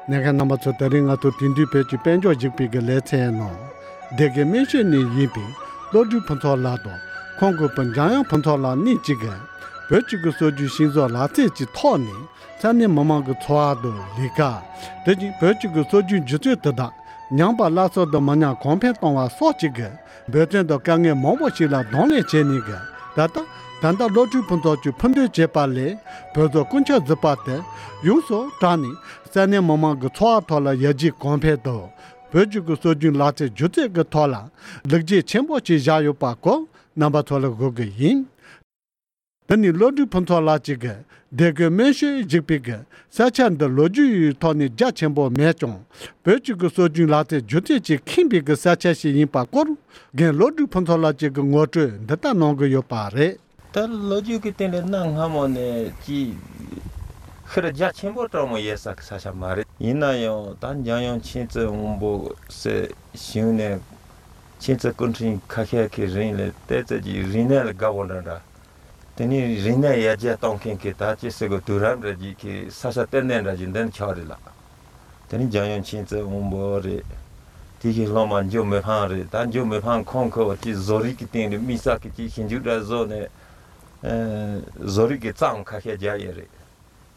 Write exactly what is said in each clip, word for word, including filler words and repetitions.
གནས་མཁན་རྣམ་པ་ཚོ། ད་རིང་ང་ཚོ་དེང་དུས་བོད་ཀྱི་དཔལ་འབྱོར་ཞིག་པའི་གི་ལེ་ཚན་ནང་སྡེ་དགེ་སྨན་ཤོད་ནས་ཡིན་པའི་བློ་གྲོས་ཕུན་ཚོགས་ལགས་དང་ཁོང་གི་བུ་འཇམ་དབྱངས་ཕུན་ཚོགས་ལགས་གཉིས་གཅིག་གིས་བོད་ཀྱི་གི་སྲོལ་རྒྱུན་ཤིང་བཟོ་ལག་རྩལ་གྱི་ཐོག་ནས་ས་གནས་མི་མང་གི་འཚོ་བ་དང་ལས་ཀ། དེ་བཞིན་བོད་ཀྱི་གི་སྲོལ་རྒྱུན་སྒྱུ་རྩལ་དེ་དག་ཉམས་པ་སླར་གསོ་དང་མི་ཉམས་གོང་འཕེལ་གཏོང་བ་སོགས་ཀྱི་གི་འབད་བརྩོན་དང་དཀའ་ངལ་མང་པོ་ཞིག་ལ་གདོང་ལེན་བྱས་ནས་གི་ད་ལྟ་ད་ལྟ་བློ་གྲོས་ཕུན་ཚོགས་ཀྱིས་ཕུད་འདེད་བྱས་པ་ལས་བོད་བཟོ་རྐུན་ཆག་བཟོས་པ་དེ་ཡོངས་སུ་དྲངས་ནས་ས་གནས་མི་མང་གི་འཚོ་བ་ཐོག་ལ་ཡར་རྒྱས་གོང་འཕེལ་དང་བོད་ཀྱི་གི་སྲོལ་རྒྱུན་ལག་རྩལ་སྒྱུ་རྩལ་གྱི་ཐོག་ལ་ལེགས་སྐྱེས་ཆེན་པོ་ཞིག་བཞག་ཡོད་པ་སྐོར་རྣམ་པ་ཚོ་ལ་འགོད་གི་ཡིན། དེ་ནི་བློ་གྲོས་ཕུན་ཚོགས་ལགས་གཅིག་གིས་སྡེ་དགེ་སྨན་ཤོད་ཞེས་པའི་གི་ས་ཆ་འདི་ལོ་རྒྱུས་ཐོག་ནས་རྒྱ་ཆེན་པོ་མེད་ཀྱང་བོད་ཀྱི་གི་སྲོལ་རྒྱུན་ལག་རྩལ་སྒྱུ་རྩལ་གྱིས་ཁེངས་པའི་གི་ས་ཆ་ཞིག་ཡིན་པ་སྐོར་རྒན་བློ་གྲོས་ཕུན་ཚོགས་ལགས་གཅིག་གིས་ངོ་སྤྲོད་འདི་ལྟར་གནང་གི་ཡོད་པ་རེད། ད་ལོ་རྒྱུས་ཀྱི་སྟེང་ལ་གནའ་སྔ་མོ་ནས་ཅིག་ཤི་ར་རྒྱ་ཆེན་པོ་གྲངས་མང་ཡོད་ས་གི་ས་ཆ་མ་རེད། ཡིན་ན་ཡང་ད་འཇམ་དབྱངས་མཁྱེན་བརྩེ་དབང་པོ་ཟེར་ཞིང་ནས་མཁྱེན་བརྩེ་སྐུ་ཕྲེང་ཁ་ཤས་ཀྱི་རིང་ལ་བལྟས་ཚད་ཀྱི་རིག་གནས་ལ་དགའ་བོ་འདྲ་འདྲ། དེ་ནས་རིག་གནས་ཡར་རྒྱས་གཏོང་མཁན་གྱི་ད་ཅི་ཟེར་དགོས། དུས་རབས་འདྲ་ཅིག་གི་ས་ཆ་ལྟེ་གནས་འདྲ་ཅིག་འདི་ནི་ཆགས་རེད་ལགས། དེ་ནི་འཇམ་དབྱངས་མཁྱེན་བརྩེ་དབང་པོ་རེད། དེ་གི་སློབ་མ་འཇུ་མི་ཕམ་རེད། ད་འཇུ་མི་ཕམ་ཁོང་ཁོ་ཅིག་བཟོ་རིག་གི་སྟེང་དུ་དམིགས་བསལ་གྱི་ཅིག་ཞིབ་འཇུག་འདྲ་བཟོས་ནས་ཨ་བཟོ་རིག་གི་རྩོམ་ཁ་ཤས་རྒྱག་ཡས་རེད།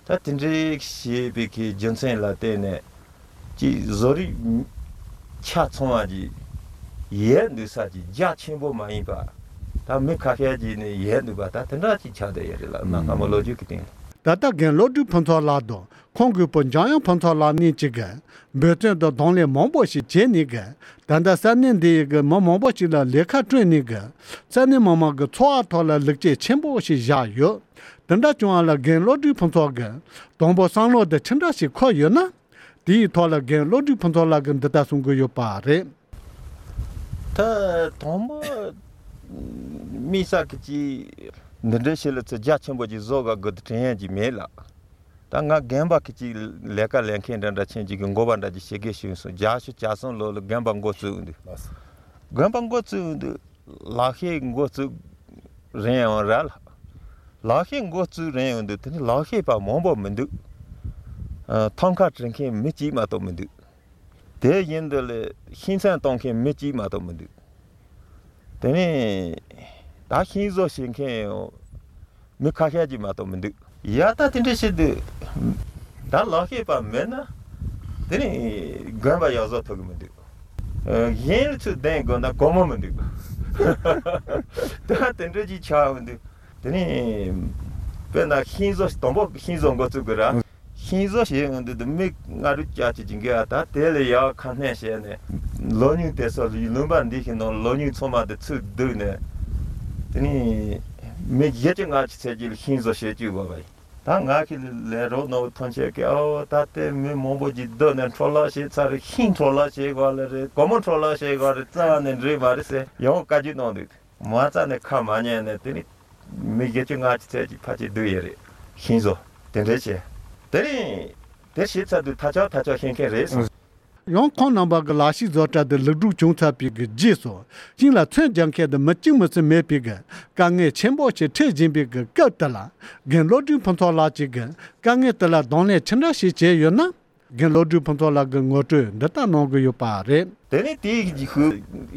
ད་དེ་འདྲའི་ཞེས་པའི་གི་རྒྱུ་མཚན་ལ་བརྟེན་ནས་ཅིག་བཟོ་རིག་ཆ་ཚང་བ་ཅིག་ཡོད་འདུག་ས་ཅིག་རྒྱ་ཆེན་པོ་མ་ཡིན་པ། ད་མི་ཁ་ཤས་ཅིག་ནས་ཡོད་འདུག་པ། ད་དེ་འདྲ་ཅིག་ཆགས་བསྡད་ཡོད་རེད་ལགས། གནའ་སྔ་མོ་ལོ་རྒྱུས་ཀྱི་སྟེང་ལ། ད་ལྟ་རྒན་བློ་གྲོས་ཕུན་ཚོགས་ལགས་དང་ཁོང་གི་བུ་འཇམ་དབྱངས་ཕུན་ཚོགས་ལགས་གཉིས་གཅིག་གིས་འབད་བརྩོན་དང་གདོང་ལེན་མང་པོ་ཞིག་བྱས་ནས་གི་ད་ལྟ་ས་གནས་འདི་ཡི་གི་མི་མང་པོ་ཞིག་ལ་ལས་ཀ་བསྐྲུན་ནས་གི་ས་གནས་མི་མང་གི་འཚོ་བ་ཐོག་ལ་ལེགས་སྐྱེས་ཆེན་པོ་ཞིག་བཞག་ཡོད། དེ་འདྲ་བྱུང་བ་ལ་རྒན་བློ་གྲོས་ཕུན་ཚོགས་ཀྱིས་དང་པོ་བསམ་བློ་དེ་ཅི་འདྲ་ཞིག་འཁོར་ཡོད་ན། དེའི་ཐོག་ལ་རྒན་བློ་གྲོས་ཕུན་ཚོགས་ལགས་ཀྱིས་འདི་ལྟར་གསུང་གི་ཡོད་པ་རེད། ད་དང་པོ་དམིགས་བསལ་གྱི་ཅིག་འདི་འདྲའི་ཞིག་ལ་ཚེ་རྒྱ་ཆེན་པོ་ཅིག་བཟོ་ག་དགོས་དུ་དྲན་ཡས་ཅིག་མེད་ལགས། ད་ང་རྒན་པ་གི་ཅིག་ལས་ཀ་ལས་མཁན་འདྲ་འདྲ་ཆེན་ཅིག་གི་འགོ་པ་འདྲ་ཅིག་བྱེད་དགོས་ཞུས་སོང་། བརྒྱད་ཅུ་གྱ་གསུམ་ལོ་ལ་རྒན་པ་འགོ་བཙུགས་འདུག་རྒན་པ་འགོ་བཙུགས་འདུག་ལག་ཤེས་འགོ་བཙུགས་རན་ཡོང་ར་ལགས། ལག་ཤེས་འགོ་བཙུགས་རན་ཡོང་དུས་དེ་ནི་ལག་ཤེས་པ་མང་པོ་མི་འདུག་ཨ་ཐང་ཀ་བྲི་མཁན་མི་གཅིག་མ་གཏོགས་མི་འདུག་དེ་བཞིན་དུ་ལས་ཤིང་ཚན་གཏོང་མཁན་མི་གཅིག་མ་གཏོགས་མི་འདུག་དེ་ནས་ད་ཤིང་བཟོ་བྱེད་མཁན་ཡང་མི་ཁ་ཤས་ཅིག་མ་གཏོགས་མི་འདུག་ཡ་ད་དེ་འདྲ་བྱེད་དུས་ད་ལག་ཤེས་པ་མེད་ན་དེ་ནི་དགོན་པ་ཡག་བཟོ་ཐུབ་ཀྱི་མི་འདུག་ཨ་གཞན་ཚོས་བདེན་དགོས་ན་སྒོར་མོ་མི་འདུག་ད་དེ་འདྲ་ཅིག་ཆགས་འོང་དུས་དེ་ནི་དཔེར་ན་ཤིང་བཟོ་དང་པོ་ཤིང་བཟོ་འགོ་བཙུགས་དགོས་ར། ཤིང་བཟོ་བྱེད་འོང་དུས་དུ་མི་ལྔ་དྲུག་བརྒྱ་ཅིག་ཅིག་འགོས་ཨ། ད་དེ་ལས་ཡག་ཁ་སྣོན་བྱས་ནས་ལོ་ཉུང་དེ་ཚོ་ལུང་པ་འདི་ཞིག་ནང་ལོ་ཉུང་ཚང་མ་དེ་ཚུར་བསྡུས་ནས་དེ་ནི་མི་བཞི་བཅུ་ལྔ་བཅུ་ཚད་ཅིག་ལ་ཤིང་བཟོ་བྱེད་བཅུག་དགོས་པ་ཡིན། ད་ང་གི་ལས་རོགས་ནོར་ཐོན་ཆེད་ཀྱི་ཨོ་ད་ལྟའི་མི་མང་པོ་ཅིག་སྡོད་ནས་འཕྲོ་བརླག་བྱེད་ཚར་རེད། ཤིང་འཕྲོ་བརླག་བྱེད་དགོས་ལེ་རེད། སྒོར་མོ་འཕྲོ་བརླག་བྱེད་དགོས་རེད། རྩ་ནས་འགྲིག་མ་རེད་ཟེར་ཡང་བཀའ་བཀྱོན་གནང་འདུག་མ་རྩ་ནས་ཁ་མ་ཉན་ནས་དེ་ནི་མི་བཞི་བཅུ་ལྔ་བཅུ་ཚད་ཀྱི་ཕལ་ཆེར་བསྡུས་ཡོད་རེད། ཤིང་བཟོ་དེ་འདྲས་བྱས་དེ་རིང་དེ་བྱེད་ཚར་དུས་ཐ་ཆག་ཐ་ཆག་ཤེས་མཁན་རེད་གསུངས། ཡང་ཁོང་རྣམ་པ་གི་ལག་ཤེས་བཟོ་གྲྭ་དེ་ལེགས་གྲུབ་བྱུང་ཚར་བའི་གི་རྗེས་སུ་ཤིང་ལ་ཚོན་རྒྱག་མཁན་དེ་མི་གཅིག་མི་གསུམ་མེད་པའི་གི་དཀའ་ངལ་ཆེན་པོ་ཞིག་འཕྲད་བཞིན་པའི་གི་སྐབས་དེ་ལ་རྒན་བློ་གྲོས་ཕུན་ཚོགས་ལགས་ཀྱིས་གི་དཀའ་ངལ་དེ་ལ་གདོང་ལེན་ཅི་འདྲ་ཞིག་བྱས་ཡོད་ན། རྒན་བློ་གྲོས་ཕུན་ཚོགས་ལགས་ཀྱིས་ངོ་སྤྲོད་འདི་ལྟར་གནང་གི་ཡོད་པ་རེད། དེ་ནས་དེའི་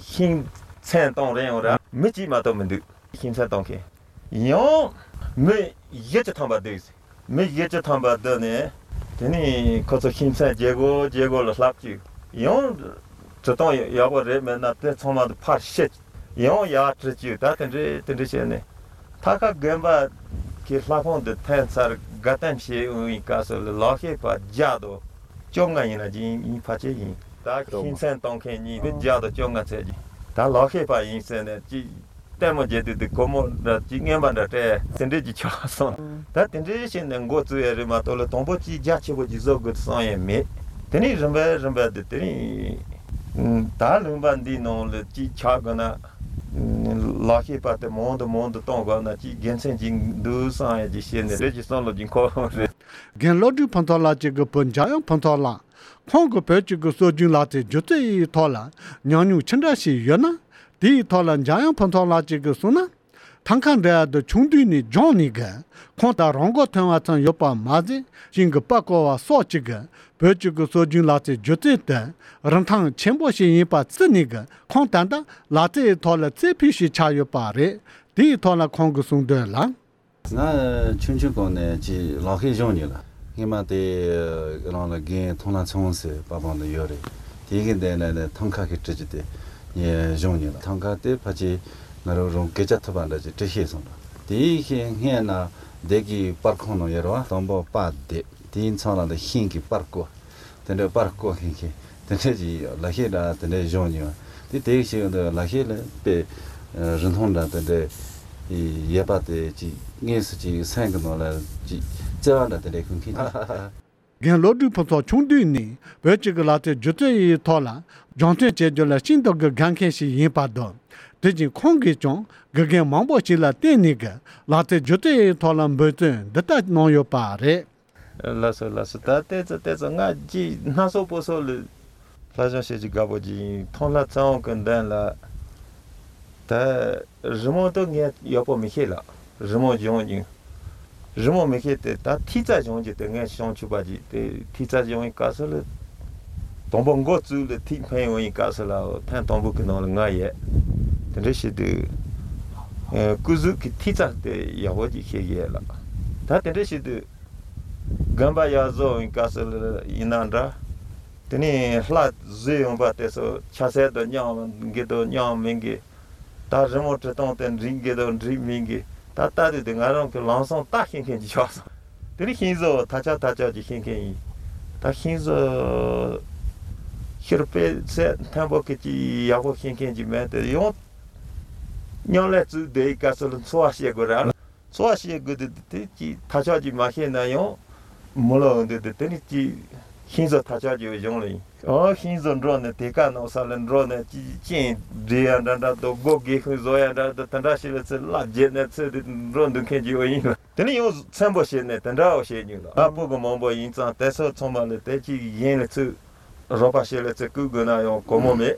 ཤིང་ཚན་གཏོང་རན་ཡོང་ར་མི་གཅིག་མ་གཏོགས་མི་འདུག་ཤིང་ཚན་གཏོང་མཁན་ཡང་མི་བཞི་བཅུ་ཐམ་པ་འདུག་མི་བཞི་བཅུ་ཐམ་པ་འདུག་ནས་དེ་ནས་ཁོ་ཚོ་ཤིང་ཚན་བརྗེ་དགོས་བརྗེ་དགོས་ལ་ལྷག་བཅུག་ཡང་བྲི་སྟངས་ཡག་པོ་རེད་མེད་ན་དེ་ཚང་མ་དུ་ཕར་བཤད། ཡང་ཡར་བྲི་བཅུག་ད་དེ་འདྲས་དེ་འདྲས་བྱས་ནས་ཐ་ཁ་དགོན་པ་གི་ལྷ་ཁང་དུ་ཐོན་ཚར་དགའ་སྟོན་བྱེད་འོང་བའི་སྐབས་སུ་ལ་ལག་ཤེས་པ་བརྒྱ་དང་བཅོ་ལྔ་ཡིན་ན་ཅིག་ཡིན་ཕལ་ཆེར་ཡིན། ད་ཤིང་ཚན་གཏོང་མཁན་གཉིས་པོ་བརྒྱ་དང་བཅོ་ལྔ་ཚད་ཀྱི་ད་ལག་ཤེས་པ་ཡིན་ཟེར་ནས་ཅིག་ལྟད་མོ་བྱེད་དུས་དུ་སྒོར་མོ་འདྲ་ཅིག་རྔན་པ་འདྲ་སྤྲད་དེ་འདྲས་ཀྱི་ཆགས་སོང་། ད་དེ་འདྲས་བྱས་ནས་འགོ་བཙུགས་ཡས་རེད་མ་གཏོགས་ལ་དང་པོ་ཅིག་རྒྱ་ཆེ་པོ་ཅིག་བཟོ་དགོས་བསམ་ཡས་མེད། དེ་ནས་རིམ་པས་རིམ་པས་དུ་དེ་རིང་ད་ལུང་པ་འདིའི་ནང་ལ་ཅིག་ཆགས་དགོས་ན་ལག་ཤེས་པ་དེ་མང་དུ་མང་དུ་གཏོང་དགོས་ན་ཅིག་དགེ་མཚན་ཅིག་འདུག་བསམ་ཡས་ཅིག་བཤད་ནས་རེད་ཅིག་བསམ་བློ་ཅིག་འཁོར་རེད། རྒན་བློ་གྲོས་ཕུན་ཚོགས་ལགས་ཀྱི་གི་བུ་འཇམ་དབྱངས་ཕུན་ཚོགས་ལགས་ཁོང་གི་བོད་ཀྱི་གི་སྲོལ་རྒྱུན་ལག་རྩལ་སྒྱུ་རྩལ་ཡི་ཐོག་ལ་ཉམས་མྱོང་ཅི་འདྲ་ཞིག་ཡོད་ན། དེའི་ཐོག་ལ་འཇམ་དབྱངས་ཕུན་ཚོགས་ལགས་ཀྱིས་གསུངས་ན། ཐང་ཀ་འདྲ་ཡག་དུ་ཆུང་དུས་ནས་སྦྱངས་ནས་གི་ཁོང་ད་རང་མགོ་ཐོན་པ་ཙམ་ཡོད་པ་མ་ཟད། ཤིང་གི་པར་བརྐོ་བ་སོགས་ཀྱི་གི་བོད་ཀྱི་གི་སྲོལ་རྒྱུན་ལག་རྩལ་སྒྱུ་རྩལ་དེ་རིན་ཐང་ཆེན་པོ་ཞིག་ཡིན་པ་བརྩིས་ནས་གི་ཁོང་ད་ལྟ་ལག་རྩལ་ཐོག་ལ་རྩེ་ཕུད་ཞིག་ཆགས་ཡོད་པ་རེད། དེའི་ཐོག་ལ་ཁོང་གིས་གསུངས་དོན་ལ། ང་ཆུང་ཆུང་གོང་ནས་ཅིག་ལག་ཤེས་སྦྱོང་མྱོང་ལ། སྔོན་མ་དེ་རང་ལ་རྒན་ཐང་ལྷ་ཚེ་དབང་ཟེར་པ་པང་དུ་ཡོད་རེད། དེ་གི་འདས་ནས་ནས་ཐང་ཀ་གི་བྲིས་ཀྱི་དེ་ངས་སྦྱོང་མྱོང་ལ། ཐང་ཀ་དེ་ཕལ་ཆེར་ང་རང་རང་སྐད་ཆ་ཐུབ་པ་འདྲ་ཅིག་བྲིས་ཤེས་སོང་ལ། དེའི་ཤེས་སྔས་ན་སྡེ་གི་པར་ཁང་ནང་ཡོད་རེད་བ། དང་པོ་པར་དེབ་དེའི་མཚམས་ལ་ལ་ཤིང་གི་པར་བརྐོ། དེ་འདྲའི་པར་བརྐོ་མཁན་མཁན་དེ་འདྲ་ཅིག་ཡོད། ལག་ཤེས་འདྲ་དེ་འདྲའི་སྦྱོང་མྱོང་། དེ་དེ་ཞིག་ཡོང་དུས་ལག་ཤེས་ལ་དཔེ་རིན་ཐང་འདྲ་དེ་འདྲའི་ཡོད་པ་དེ་ཅིག་དངོས་སུ་ཅིག་སེམས་ཀྱི་ནང་ལ་ཅིག་བརྩེ་བ་འདྲ་དེ་འདྲའི་ཁུངས་མཁན། རྒན་བློ་གྲོས་ཕུན་ཚོགས་ཆུང་དུས་ནས་བོད་ཀྱི་གི་ལག་རྩལ་སྒྱུ་རྩལ་ཡི་ཐོག་ལ་སྦྱོང་བརྩོན་བྱེད་རྒྱུ་ལ་ཤིན་ཏུ་གི་དགའ་མཁན་ཞིག་ཡིན་པ་དང་། དེ་བཞིན་ཁོང་གིས་ཀྱང་དགེ་རྒན་མང་པོ་ཞིག་ལ་བརྟེན་ནས་གི་ལག་རྩལ་སྒྱུ་རྩལ་ཡི་ཐོག་ལ་འབད་བརྩོན་འདི་ལྟར་གནང་ཡོད་པ་རེད། ལགས་སོ་ལགས་སོ། ད་ལྟའི་ཚེ་ལྟའི་ཚེ་ང་ཅིག་སྣ་ཚོགས་པོ་སོགས་ལ་ལྷ་སྦྱོང་བྱེད་ཀྱི་དགའ་པོ་ཅིག་ཡིན། ཐང་ལྷ་ཚེ་དབང་གི་མདུན་ལ་ད་རི་མོ་དེ་ངས་ཡག་པོ་མི་ཤེས་ལ། རི་མོ་སྦྱོང་རྒྱུ་རི་མོ་མི་ཤེས་ཏེ། ད་ཐིག་རྩ་སྦྱོང་རྒྱུ་དེ་ངས་སྦྱོང་ཆོག་པ་ཅིག་དེ། ཐིག་རྩ་སྦྱོང་བའི་སྐབས་སུ་ལ་དང་པོ་མགོ་བཙུགས་ལ་ཐིག་འཕེན་འོང་བའི་སྐབས་སུ་ལ་ཐེངས་དང་པོ་གི་ནང་ལ་ང་ཡོད། དེ་འདྲ་བྱེད་དུས་སྐུ་གཟུགས་ཀྱི་ཐིག་རྩ་དེ་ཡག་པོ་ཅིག་ཤེས་ཀྱི་ཡོད་ལ། ད་དེ་འདྲ་བྱེད་དུས་དགོན་པ་ཡར་བཟོ་འོང་བའི་སྐབས་སུ་ལ་ཡིན་ན་འདྲ། དེ་ནས་ལྷ་བཟོས་ཡོང་བ་དེ་ཚོ་ཆ་ཚད་དང་མཉམ་གི་དང་མཉམ་མིན་གི། ད་རི་མོ་བྲི་སྟངས་དེ་འགྲིག་གི་དང་འགྲིག་མིན་གི། ད་ལྟ་དུས་དེ་ང་རང་གི་ལམ་སང་ལྟ་ཤེས་མཁན་ཅིག་ཆགས་སོང་། དེ་ནས་ཤིང་བཟོ་ཐག་ཆག་ཐག་ཆག་ཅིག་ཤེས་མཁན་ཡིན། ད་ཤིང་བཟོ་ཤེས་དཔེ་ཚད་མཐོན་པོ་གི་ཅིག་ཡག་པོ་ཤེས་མཁན་ཅིག་མེད་དེ། ཡང་མཉམ་ལས་བཙུགས་བསྡད་སྐབས་སུ་ལ་འཚོ་བ་བྱེད་དགོས་ར་ལ། འཚོ་བ་བྱེད་དགོས་དུས་དེ་ཅིག་ཐག་ཆག་ཅིག་མ་ཤེས་ན་ཡང་མི་ལོ་འདི་དེ་དེ་ནི་ཅིག་ཤིང་བཟོ་ཐག་ཆག་ཅིག་བྱུང་ལ་ཡིན། ཨོ་ཤིང་བཟོ་འགྲོ་ནས་དེ་ཀ་ནང་ས་ལ་འགྲོ་ནས་ཅིག་ཅིག་སྦྲེལ་ཡ་འདྲ་འདྲ་དང་སྒོ་སྒེའུ་ཁུང་བཟོ་ཡ་འདྲ་དང་དེ་འདྲ་ཞིག་ལ་ཚེ་བླ་བརྒྱད་ནས་ཚེ་དེ་འགྲོ་འདུག་མཁན་ཅིག་ཡོད་ཡིན་ལ། དེ་ནི་ཡང་ཚན་པོ་བྱས་ནས་དེ་འདྲ་བ་བྱས་མྱོང་ལ། ཨ་སྤུ་གུ་མང་པོ་ཡིན་ཙང་དེ་ཚོ་ཚང་མ་ལ་དེ་ཅིག་གཞན་ལ་ཚུར་རོགས་པ་བྱེད་ལ་ཚུར་བསྐུལ་དགོས་ན་ཡང་གོ་མོ་མེད།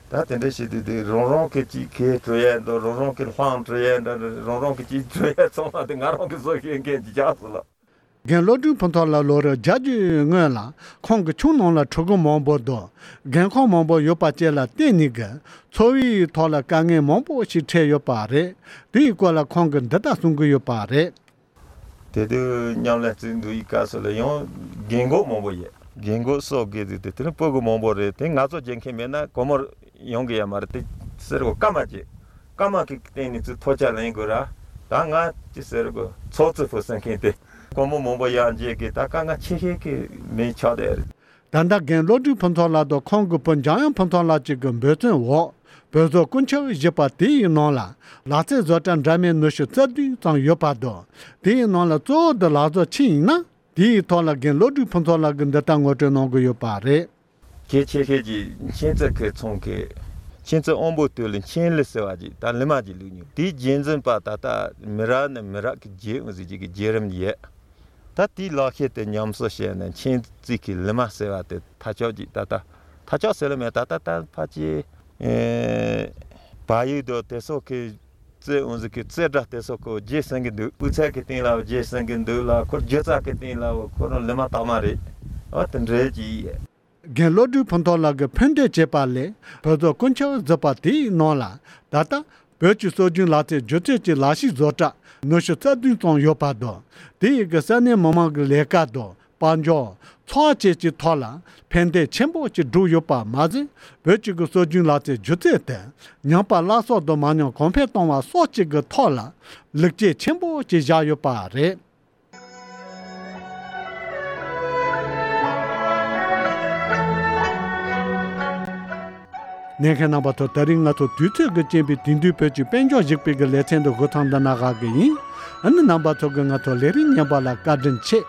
ད་དེ་འདྲ་བྱེད་དུས་དེ་རང་རང་གི་ཅིག་གས་བྲི་ཡས་འདུག་རང་རང་གི་ལྷམ་བྲི་ཡས་འདྲ་རང་རང་གི་ཅིག་བྲི་ཡས་ཚང་མ་དེ་ང་རང་གི་བཟོ་ཤེས་མཁན་ཅིག་ཆགས་སོང་ལ། རྒན་བློ་གྲོས་ཕུན་ཚོགས་ལགས་ལོ་རབས་བརྒྱད་ཅུ་སྔོན་ལ་ཁོང་གི་ཁྱིམ་ནང་ལ་ཕྲུ་གུ་མང་པོ་དང་རྒན་འཁོགས་མང་པོ་ཡོད་པ་བཅས་ལ་བརྟེན་ནས་གི་འཚོ་བའི་ཐོག་ལ་དཀའ་ངལ་མང་པོ་ཞིག་འཕྲད་ཡོད་པ་རེད། དེའི་སྐོར་ལ་ཁོང་གིས་འདི་ལྟར་གསུང་གི་ཡོད་པ་རེད། དེ་དུས་མཉམ་ལས་བཙུགས་འདུག་ཡི་སྐབས་སུ་ལ་ཡང་རྒན་འཁོགས་མང་པོ་ཡོད། རྒན་འཁོགས་སོགས་དགོས་དུས་དེ་དེ་ནི་སྤུ་གུ་མང་པོ་རེད། དེ་ང་ཚོ་རྒྱལ་ཁྱིམ་མེད་ན་སྒོར་མོ་ཡོང་གི་ཡ་མ་རེད། དེ་ཟེར་གོ་སྐར་མ་གཅིག་སྐར་མ་གི་སྟེང་ནས་ཚུར་ཐོ་ཆ་ལེན་དགོས་ར། ད་ང་ཅི་ཟེར་གོ་ཚོགས་རྩི་ཕུལ་ཟེར་མཁན་དེ་སྒོར་མོ་མང་པོ་ཡར་འཇལ་གི་ད་དཀའ་ངལ་ཆེ་ཤོས་ཀྱི་མི་ཆགས་བསྡད་རེད། ད་ལྟ་རྒན་བློ་གྲོས་ཕུན་ཚོགས་ལགས་དང་ཁོང་གི་བུ་འཇམ་དབྱངས་ཕུན་ཚོགས་ལགས་གཅིག་གི་འབད་བརྩོན་འོག་བོད་བཟོ་སྐུ་མཆེད་བཞི་པ་དེའི་ནང་ལ་ལག་རྩལ་བཟོ་གྲྭ་འདྲ་མིན་ཉི་ཤུ་རྩ་བདུན་ཙམ་ཡོད་པ་དང་། དེའི་ནང་ལ་གཙོ་བོ་དེ་ལག་བཟོ་ཆེན་ཡིན་ན། དེའི་ཐོག་ལ་རྒན་བློ་གྲོས་ཕུན་ཚོགས་ལགས་ཀྱིས་འདི་ལྟར་ངོ་སྤྲོད་གནང་གི་ཡོད་པ་རེད། གལ་ཆེ་ཤོས་ཀྱི་མཁྱེན་བརྩེ་ཁའི་ཚོང་ཁེ། མཁྱེན་བརྩེ་དབང་པོ་དོད་ལ་མཁྱེན་ལི་ཟེར་བ་ཅིག་ད་ལི་མ་ཅིག་བླུགས་མྱོང་། དེའི་རྗེས་འཛིན་པ་ད་ལྟ་མི་རབས་ནས་མི་རབས་ཀྱི་རྗེས་འོང་ཟེར་གྱི་གི་བརྒྱུད་རིམ་ཡོད། ད་དེའི་ལག་ཤེས་དེ་ཉམས་གསོ་བྱས་ནས་མཁྱེན་བརྩེ་ཁའི་ལི་མ་ཟེར་བ་དེ་ཐ་ཆོག་ཅིག་ད་ལྟ་ཐ་ཆོག་ཟེར་ལ་མེད། ད་ལྟ་ད་ཕལ་ཆེར་ཨེ་བལ་ཡུལ་དུ་དེ་སོགས་ཀྱི་རྩེད་འོང་ཟེར་གྱི་རྩེད་གྲྭ་དེ་སོགས་ཀྱི་རྗེས་ཟིན་གྱི་འདུག་དབུ་ཚད་ཀྱི་སྟེང་ལ་རྗེས་ཟིན་གྱི་འདུག་ལ། ཁོ་སྒྱུ་རྩལ་གྱི་སྟེང་ལ་ཁོ་རང་ལི་མ་དག་མ་རེད། ཨ་དེ་འདྲའི་ཅིག་ཡོད། རྒན་བློ་གྲོས་ཕུན་ཚོགས་ལགས་ཀྱིས་ཕན་བདེ་བྱེད་པ་ལས་བོད་བཟོ་སྐུ་མཆེད་བཞི་པ་དེའི་ནང་ལ་ད་ལྟ་བོད་ཀྱི་སྲོལ་རྒྱུན་ལག་རྩལ་སྒྱུ་རྩལ་གྱི་ལག་ཤེས་བཟོ་གྲྭ་ཉི་ཤུ་རྩ་བདུན་ཙམ་ཡོད་པ་དང་། དེ་ཡི་གི་ས་གནས་མི་མང་གི་ལས་ཀ་དང་དཔལ་འབྱོར་འཚོ་བ་བཅས་ཀྱི་ཐོག་ལ་ཕན་བདེ་ཆེན་པོ་ཅིག་བསྒྲུབས་ཡོད་པ་མ་ཟད། བོད་ཀྱི་གི་སྲོལ་རྒྱུན་ལག་རྩལ་སྒྱུ་རྩལ་དེ་ཉམས་པ་སླར་གསོ་དང་མ་ཉམས་གོང་འཕེལ་གཏོང་བ་སོགས་ཀྱི་གི་ཐོག་ལ་ལེགས་སྐྱེས་ཆེན་པོ་ཅིག་བཞག་ཡོད་པ་རེད། ཉན་མཁན་རྣམ་པ་ཚོ། ད་རིང་ང་ཚོ་དུས་ཚོད་ཀྱི་རྐྱེན་པས་དེང་དུས་བོད་ཀྱི་དཔལ་འབྱོར་ཞིག་པའི་གི་ལེ་ཚན་འདི་འགོ་ཐང་འདི་ན་བཞག་གི་ཡིན། ཨ་ནི་རྣམ་པ་ཚོ་གི་ང་ཚོ་ལས་རིམ་ཉན་པ་ལ་བཀའ་དྲིན་ཆེ།